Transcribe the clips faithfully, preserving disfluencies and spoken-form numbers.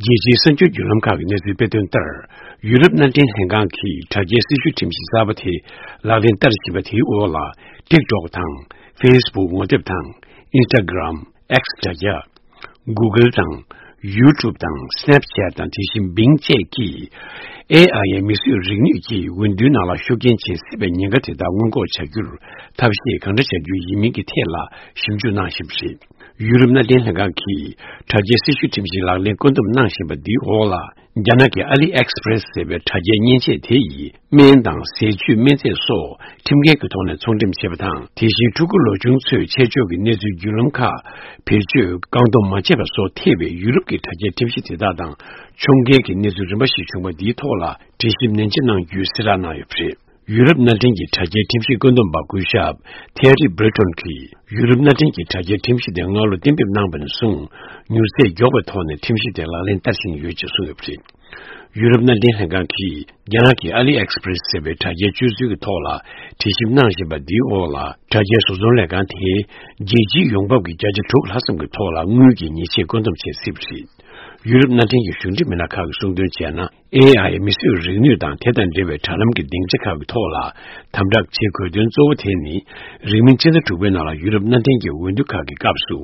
རྒྱལ་སྤྱིའི་གསར་འགྱུར་བརྒྱུད་ལམ་ཁག་གི་གནས་ཚུལ་སྤེལ་དོན་ལྟར། ཡུ་རོབ་མནའ་འབྲེལ་ལྷན་ཁང་གིས་དྲ་རྒྱའི་སྲི་ཞུ་ཁྲིམས་གཞི་གསར་པ་དེ་ལག་ལེན་བསྟར་བཞིན་པ་དེའི་འོག་ལ། ཊིག་ཊོག་དང་། ཕེ་སི་བུག་ངོ་དེབ་དང་། ཨིན་སི་ཊ་གྷི་རམ། ཨེག་སི་དྲ་རྒྱ། གུ་གལ་དང་། ཡུ་ཊུབ་དང་། སི་ནེབ་ཅེ་ཊི་དང་། དེ་བཞིན་བིང་ཅེཊ་ཀྱིས། ཨེ་ཨའི་ཡི་མིག་གཟུགས་རིག་ནུས་ཀྱིས་འོས་བསྡུའི་ནང་ལ་ཤུགས་རྐྱེན་བྱེད་སྲིད་པའི་ཉེན་ཁ་དེ་དག་སྔོན་འགོག་བྱ་རྒྱུར་ཐབས་ཤེས་གང་འདྲ་བྱ་རྒྱུ་ཡིན་མིན་གྱི་ཐད་ལ་ཞིབ་འཇུག་གནང་བཞིན་པ་རེད། ཡུ་རོབ་མནའ་འབྲེལ་ལྷན་ཁང་གིས་དྲ་རྒྱའི་སྲི་ཞུ་ཁྲིམས་གཞི་ལག་ལེན་བཀོད་འདོམས་གནང་བཞིན་པ་འདིའི་འོག་ལ། རྒྱ་ནག་གི་ཨ་ལི་ཨེག་སི་པི་རེ་སི་ཟེར་བའི་དྲ་རྒྱའི་མཉེན་ཆས་དེ་ཡིས་སྨན་དང་ཟས་བཅུད་སྨན་རྫས་སོགས་ཁྲིམས་འགལ་གྱི་ཐོག་ནས་ཚོང་འགྲེམས་བྱས་པ་དང་། དེ་བཞིན་ཕྲུ་གུ་ལོ་ཆུང་ཚོའི་ཆེད་སྤྱོད་ཀྱི་གནས་ཚུལ་བརྒྱུད་ལམ་ཁག་བེད་སྤྱོད་བཀག་སྡོམ་མ་བྱས་པ་སོགས་ཐེ་བའི་ཡུ་རོབ་ཀྱི་དྲ་རྒྱའི་ཁྲིམས་གཞི་དེ་དག་དང་ཕྱོགས་འགལ་གྱི་གནས་ཚུལ་རིམ་པ་ཞིག་བྱུང་བ་འདིའི་ཐོག་ལ་དྲི་ཞིབ་ནན་ཆེ་གནང་རྒྱུའི་གསལ་བསྒྲགས་གནང་ཡོད་པ་རེད། ཡུ་རོབ་མནའ་འབྲེལ་གྱི་དྲ་རྒྱའི་ཁྲིམས་གཞི་བཀོད་འདོམས་པ་སྐུ་ཞབས་ཐེ་ཨ་རི་བྷི་རི་ཊོན་གྱིས། ཡུ་རོབ་མནའ་འབྲེལ་གྱི་དྲ་རྒྱའི་ཁྲིམས་གཞི་དེ་སྔ་ལོ་གཏན་འབེབས་གནང་བ་ནས་བཟུང་། མྱུར་ཚད་མགྱོགས་པའི་ཐོག་ནས་ཁྲིམས་གཞི་དེ་ལག་ལེན་བསྟར་བཞིན་ཡོད་ཅེས་གསུངས་ཡོད་པ་རེད། ཡུ་རོབ་མནའ་འབྲེལ་ལྷན་ཁང་གིས་རྒྱ་ནག་གི་ཨ་ལི་ཨེག་སི་པི་རེ་སི་ཟེར་བའི་དྲ་རྒྱའི་སྤྱོད་ཚུལ་གྱི་ཐོག་ལ་དྲི་ཞིབ་གནང་བཞིན་པ་འདིའི་འོག་ལ། དྲ་རྒྱའི་བཟོ་ཚོང་ལས་ཁང་དེས་རྒྱལ་སྤྱིའི་ཡོང་འབབ་ཀྱི་བརྒྱ་ཆ་དྲུག་ལྷག་ཙམ་གྱི་ཐོག་ལ་དངུལ་གྱི་ཉེས་ཆད་བཀོད་འདོམས་བྱེད་སྲིད་པ་རེད། ཡུ་རོབ་མནའ་འབྲེལ་གྱི་གཞུང་འབྲེལ་མི་སྣ་ཁག་གིས་གསུངས་དོན་བྱས་ན། ཨེ་ཨའི་མིག་གཟུགས་རིག་ནུས་དང་དེ་དང་འབྲེལ་བའི་དྲ་ལམ་གྱི་སྡིངས་ཆ་ཁག་གི་ཐོག་ལ་དམ་དྲག་བྱེད་དགོས་དོན་གཙོ་བོ་དེ་ནི། རིང་མིན་ཕྱི་ཟླ་དྲུག་པའི་ནང་ལ་ཡུ་རོབ་མནའ་འབྲེལ་གྱི་འོས་བསྡུ་ཁག་གི་སྐབས་སུ་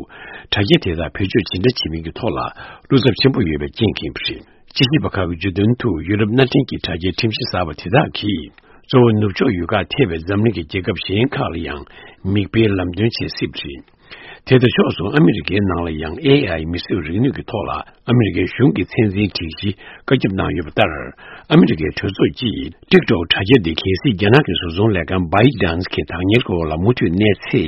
དྲ་རྒྱ་དེ་དག་བེད་སྤྱོད་ཇི་འདྲ་བྱེད་མིན་གྱི་ཐོག་ལ་བློ་འཚབ་ཆེན་པོ་ཡོད་པའི་རྐྱེན་གྱིས་ཡིན་པ་རེད། དཔྱད་ཞིབ་པ་ཁག་གི་བརྗོད་དོན་དུ། ཡུ་རོབ་མནའ་འབྲེལ་གྱི་དྲ་རྒྱའི་ཁྲིམས་གཞི་གསར་པ་དེ་དག་གིས་གཙོ་བོ་ནུབ་ཕྱོགས་ཡུལ་ཁག་ཐེ་བའི་འཛམ་གླིང་གི་རྒྱལ་ཁབ་གཞན་ཁག་ལ་ཡང་མིག་དཔེའི་ལམ་སྟོན་བྱེད་སྲིད་པ་རེད། དེ་དང་ཕྱོགས་སུ་ཨ་མི་རི་ཀའི་ནང་ལ་ཡང་ཨེ་ཨའི་མིག་གཟུགས་རིག་ནུས་ཀྱི་ཐོག་ལ་ཨ་མི་རི་ཀའི་གཞུང་གི་ཚད་འཛིན་སྒྲིག་གཞི་བཀའ་ཁྱབ་གནང་ཡོད་པ་ལྟར། ཨ་མི་རི་ཀའི་གྲོས་ཚོགས་ཀྱིས་ཊིག་ཊོག་དྲ་རྒྱ་འདི་གལ་སྲིད་རྒྱ་ནག་གི་བཟོ་ཚོང་ལས་ཁང་བྷའི་ཌན་སི་གི་བདག་གཉེར་གྱི་འོག་ལ་མུ་མཐུད་གནས་ཚེ།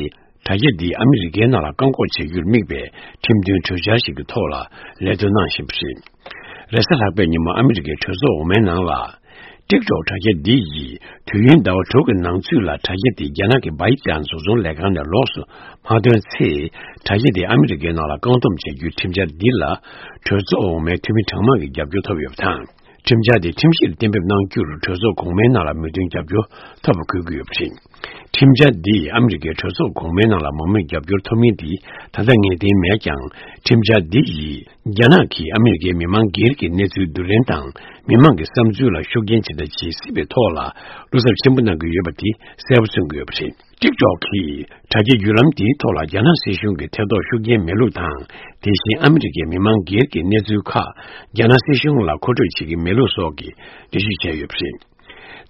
དྲ་རྒྱ་འདིས་ཨ་མི་རི་ཀའི་ནང་ལ་བཀག་འགོག་བྱེད་རྒྱུར་དམིགས་པའི་ཁྲིམས་མཐུན་གྲོས་འཆར་ཞིག་གི་ཐོག་ལ་ལས་དོན་གནང་བཞིན་པ་རེད། རེས་གཟའ་ལྷག་པའི་ཉིན་མོ་ཨ་མི་རི་ཀའི་གྲོས་ཚོགས་འོག་མའི་ནང་ལ། ཊིག་ཊོག་དྲ་རྒྱ་འདི་ཡིས་དུས་ཡུན་ཟླ་བ་དྲུག་གི་ནང་ཚུད་ལ་དྲ་རྒྱ་འདི་རྒྱ་ནག་གི་བྷའི་ཌན་བཟོ་ཚོང་ལས་ཁང་ནས་ལོགས་སུ་མ་ཐོན་ཚེ། དྲ་རྒྱ་འདི་ཨ་མི་རི་ཀའི་ནང་ལ་བཀག་སྡོམ་བྱ་རྒྱུའི་ཁྲིམས་འཆར་འདི་ལ་གྲོས་ཚོགས་འོག་མའི་འཐུས་མི་གྲངས་མང་གིས་རྒྱབ་སྐྱོར་ཐོབ་ཡོད་པ་དང་། ཁྲིམས་འཆར་དེ་ཁྲིམས་གཞིར་གཏན་འབེབས་གནང་རྒྱུར་གྲོས་ཚོགས་གོང་མའི་ནང་ལ་མོས་མཐུན་རྒྱབ་སྐྱོར་ཐོབ་པ་འཁོད་ཀྱི་ཡོད་པ་རེད། ཁྲིམས་འཆར་འདིས་ཨ་མི་རི་ཀའི་གྲོས་ཚོགས་གོང་མའི་ནང་ལ་མང་མོས་རྒྱབ་སྐྱོར་ཐོབ་མིན་དེ་ད་ལྟ་ངེས་གཏན་མེད་ཀྱང་། ཁྲིམས་འཆར་འདི་ཡིས་རྒྱ་ནག་གིས་ཨ་མི་རི་ཀའི་མི་མང་སྒེར་གྱི་གནས་ཚུལ་བསྡུ་ལེན་དང་མི་མང་གི་བསམ་ཚུལ་ལ་ཤུགས་རྐྱེན་ཇི་འདྲ་བྱེད་སྲིད་པའི་ཐོག་ལ་བློ་འཚབ་ཆེན་པོ་གནང་གི་ཡོད་པ་དེ་གསལ་པོ་མཚོན་གྱི་ཡོད་པ་རེད། ཊིག་ཊོག་གིས་དྲ་རྒྱའི་བརྒྱུད་ལམ་དེའི་ཐོག་ལ་རྒྱ་ནག་སྲིད་གཞུང་གིས་ཐེ་གཏོགས་ཤུགས་རྐྱེན་མེད་ལུགས་དང་། དེ་བཞིན་ཨ་མི་རི་ཀའི་མི་མང་སྒེར་གྱི་གནས་ཚུལ་ཁག་རྒྱ་ནག་སྲིད་གཞུང་ལ་མཁོ་སྤྲོད་བྱེད་ཀྱི་མེད་ལུགས་སོགས་ཀྱི་འགྲེལ་བརྗོད་བྱས་ཡོད་པ་རེད།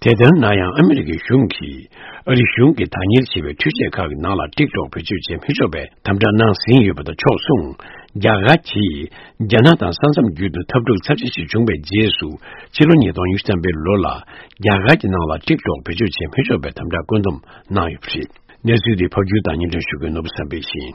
དེ་ལྟར་ན་ཡང་ཨ་མི་རི་ཀའི་གཞུང་གིས་ཨ་རིའི་གཞུང་གིས་བདག་གཉེར་བྱས་པའི་འཕྲུལ་ཆས་ཁག་གི་ནང་ལ་ཊིག་ཊོག་བེད་སྤྱོད་བྱེད་མི་ཆོག་པའི་དམ་བསྒྲགས་གནང་ཟིན་ཡོད་པ་དང་ཕྱོགས་མཚུངས། རྒྱ་གར་གྱིས་རྒྱ་ནག་དང་ས་མཚམས་བརྒྱུད་དུ་འཐབ་འཁྲུག་ཚབས་ཆེ་ཞིག་བྱུང་བའི་རྗེས་སུ། ཕྱི་ལོ་ཉིས་སྟོང་ཉི་ཤུ་རྩ་བཞིའི་ལོ་ལ་རྒྱ་གར་གྱི་ནང་ལ་ཊིག་ཊོག་བེད་སྤྱོད་བྱེད་མི་ཆོག་པའི་དམ་བསྒྲགས་བཀོད་འདོམས་གནང་ཡོད་པ་རེད། གནས་ཚུལ་འདི་ཕབ་སྒྱུར་དང་སྙན་སྒྲོན་ཞུ་མཁན་ནོར་བུ་བསམ་འཕེལ་ཡིན།